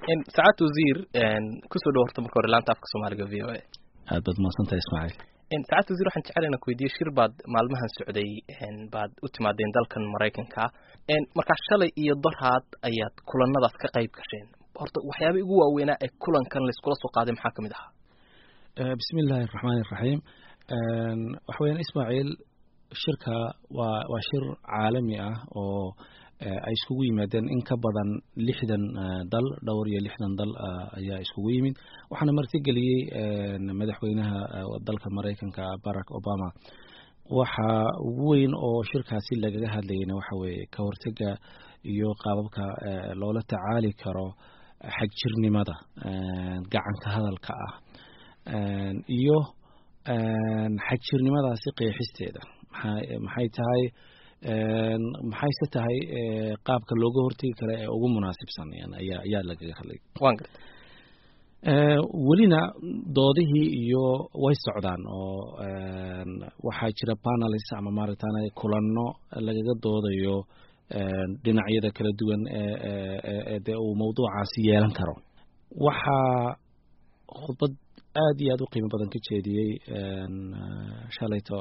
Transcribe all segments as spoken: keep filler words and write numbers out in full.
Sacaad wasiir, kusoo dhow horta marka hore laanta afka Soomaaliga V O A. Aad baad mahadsantahay, Ismaaciil. Sacaad wasiir, waxaan jecel inaan ku weydiiyo, shir baad maalmahan socday baad u timaadeen dalkan Maraykanka. Markaa shalay iyo doraad ayaad kulanadaas ka qayb gasheen. Horta waxyaaba ugu waaweynaa ee kulankan layskula soo qaaday maxaa kamid ahaa? Bismi illaahi araxmaani iraxiim. Waxa weyaan, Ismaaciil, shirka waa waa shir caalami ah oo ay iskugu yimaadeen in ka badan lixdan dal, dhowr iyo lixdan dal ayaa iskugu yimid. Waxaana martigeliyey madaxweynaha dalka Maraykanka, Barack Obama. Waxa ugu weyn oo shirkaasi lagaga hadlayana waxa weeye ka hortega iyo qaababka loola tacaali karo xagjirnimada gacanka hadalka ah iyo xagjirnimadaasi qeexisteeda, maxaa maxay tahay, maxayse tahay qaabka looga hortegi kara ee ugu munaasibsan ayaa ayaa lagaga hadlay. Waan gartay. Welina doodihii iyo way socdaan oo waxaa jira panels ama maaragtana kulanno lagaga doodayo dhinacyada kala duwan ee dee uu mawduucaasi yeelan karo. Waxaa khudbad aad iyo aad u qiimo badan ka jeediyey shalayto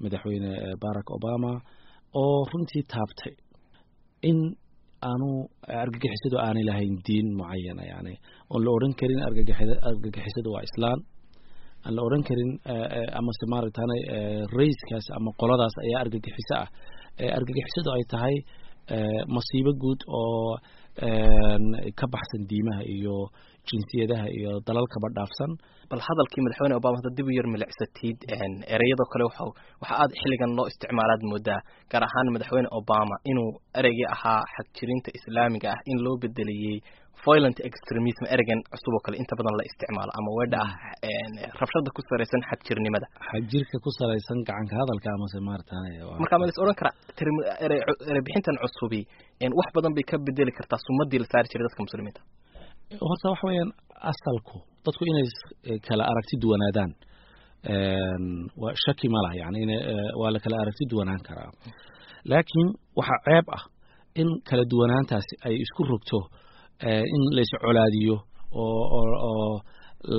madaxweyne Barack Obama oo runtii taabtay in aanu argagixisadu aanay lahayn diin mucayana, yani oon la odhan karin argagixi argagixisadu waa islaan, aan la odhan karin amase maaragtana rayskaas ama qoladaas ayaa argagixiso ah. Argagixisadu ay tahay masiibo guud oo ka baxsan diimaha iyo jinsiyadaha iyo dalalkaba dhaafsan. Bal hadalkii madaxweyne Obama hadda dib u yar milicsatid, ereyadoo kale waxa waxa aad xilligan loo isticmaalaad moodaa, gaar ahaan madaxweyne Obama, inuu ereygii ahaa xagjirinta Islaamiga ah in loo bedeliyey violent extremism, ereygan cusub oo kale inta badan la isticmaalo ama weedha ah rabshada ku salaysan xagjirnimada. Xagjirka ku salaysan gacanka hadalka amase maaragtay. Marka ma la is odhan karaa erey erey bixintan cusubi wax badan bay ka bedeli kartaa sumadii la saari jiray dadka Muslimiinta? Horta waxa weeyaan, asalku dadku inay kala aragti duwanaadaan waa shaki ma laha, yani in waa la kala aragti duwanaan karaa, laakiin waxaa ceeb ah in kala duwanaantaasi ay isku rogto in la is colaadiyo oo oo oo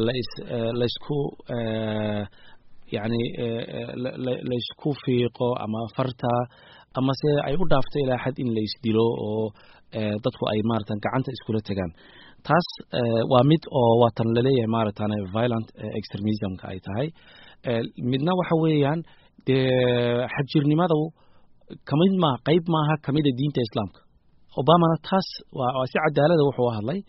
lais laysku yani laysku fiiqo ama farta ama se ay u dhaafto ilaa xad in la isdilo oo dadku ay maaratan gacanta iskula tegaan. Taas waa mid oo waatan laleeyahay maaragtane violent extremismka ay tahay. Midna waxa weeyaan dee xagjirnimadu kamid maaha, qayb maaha kamida diinta Islaamka. Obamana taas waa si cadaalada wuxuu hadlay.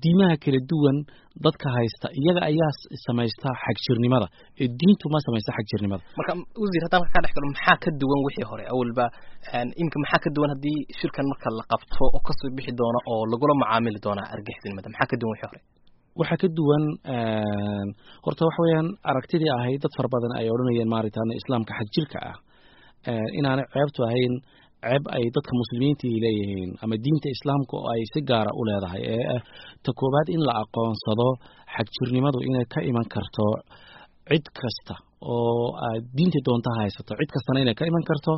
Diimaha kala duwan dadka haysta iyaga ayaa samaysta xagjirnimada ee diintu ma samaysta xagjirnimada. Marka wasiir, haddaan ka dhex galo, maxaa ka duwan wixii hore awalba? Imika maxaa ka duwan haddii shirkan marka la qabto oo kasoo bixi doono oo lagula macaamili doonaa argixisnimada? Maxaa ka duwan wixii hore? Waxaa ka duwan horta waxa weeyaan aragtidii ahayd dad fara badan ay odhanayeen maaragtaan Islaamka xagjirka ah inaanay ceebtu ahayn ceeb ay dadka Muslimiinta leeyihiin ama diinta Islaamka oo ay si gaara u leedahay, ee ta koowaad in la aqoonsado xagjirnimadu inay ka iman karto cid kasta oo aad diinta doonta haysato, cid kastana inay ka iman karto,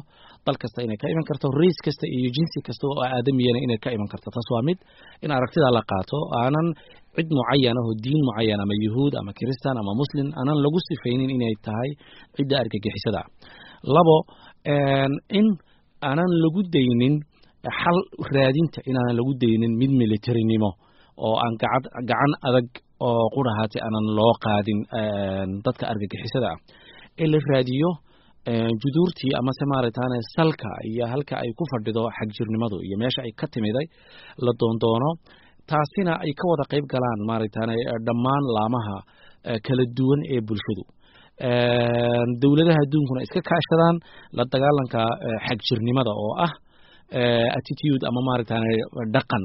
dal kasta inay ka iman karto, race kasta iyo jinsi kasta oo aadamiyana inay ka iman karto. Taas waa mid in aragtida la qaato, aanan cid mucayan oo diin mucayan ama Yuhuud ama Kiristan ama Muslim aanan lagu sifaynin inay tahay cidda argagixisada. Labo, in aanan lagu daynin xal raadinta, inaanan lagu daynin mid militarinimo oo aan gacad gacan adag oo qurahaati aanan loo qaadin dadka argagixisada ah, ee la raadiyo juduurtii amase maaragtaane salka iyo halka ay ku fadhido xagjirnimadu iyo meesha ay ka timiday la doondoono, taasina ay ka wada qayb galaan maaragtaane dhammaan laamaha kala duwan ee bulshadu, dowladaha adduunkuna iska kaashadaan la dagaalanka xagjirnimada oo ah attitude ama maaragtaane dhaqan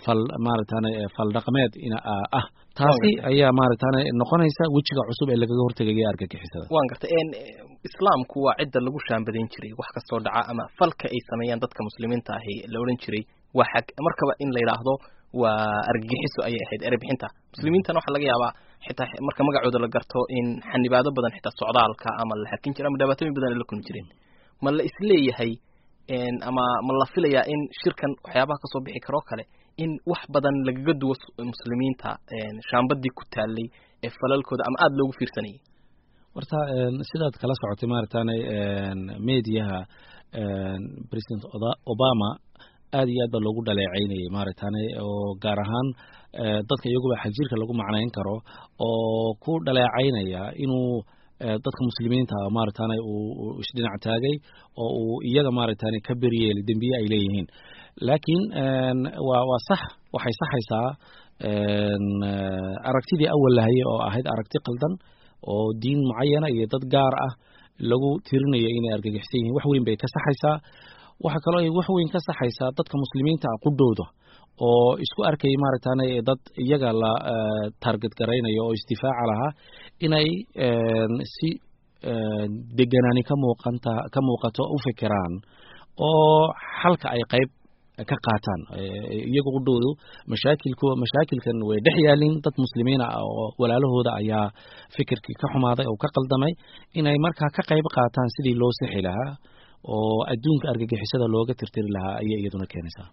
fal maaragtaane fal dhaqameed ina ah. Taasi ayaa maaragtaane noqonaysa wejiga cusub ee lagaga hortegaya argagixisada. Waan gartay. Islaamku waa cidda lagu shaambadayn jiray wax kastoo dhaca ama falka ay sameeyaan dadka Muslimiinta ahi la odhan jiray waa xag, markaba in la yidhaahdo waa argagixiso ayay ahayd erey bixinta. Muslimiintana waxaa laga yaabaa xitaa marka magacooda la garto in xanibaado badan, xitaa socdaalka ama la xakin jira ama dhibaatooyin badan ay la kulmi jireen. Ma la isleeyahay ama ma la filayaa in shirkan waxyaabaha kasoo bixi karoo kale In wax badan lagaga duwo muslimiinta shaambadii ku taalay ee falalkooda ama aada loogu fiirsanayay. Horta sidaad kala socotay, maaragtaanay, mediaha, President Obama aad iyo aad baa loogu dhaleecaynayay, maaragtaanay, oo gaar ahaan dadka iyaguba xagjirka lagu macnayn karo oo ku dhaleecaynaya inuu dadka muslimiinta ah, maaragtaanay, uu isdhinac taagay oo uu iyaga, maaragtaanay, ka beryeelay dembiye ay leeyihiin. Laakiin waa waa sax, waxay saxaysaa aragtidii awal lahayay oo ahayd aragti qaldan oo diin mucayana iyo dad gaar ah lagu tirinayo inay argagixisan yihiin. Wax weyn bay ka saxaysaa. Waxa kaloo ay wax weyn ka saxaysaa dadka muslimiinta ah qudhooda oo isku arkayay, maaragtaanay, dad iyaga la target garaynayo oo isdifaaca lahaa, inay si deganaani ka muuqanta ka muuqato u fikiraan oo xalka ay qayb ka qaataan. Iyagu qudhoodu mashaakilku mashaakilkan way dhex yaalin dad muslimiin ah oo walaalahooda ayaa fikirkii ka xumaaday oo ka qaldamay, inay markaa ka qayb qaataan sidii loo sixi lahaa oo adduunka argagixisada looga tirtiri lahaa ayay iyaduna keenaysaa.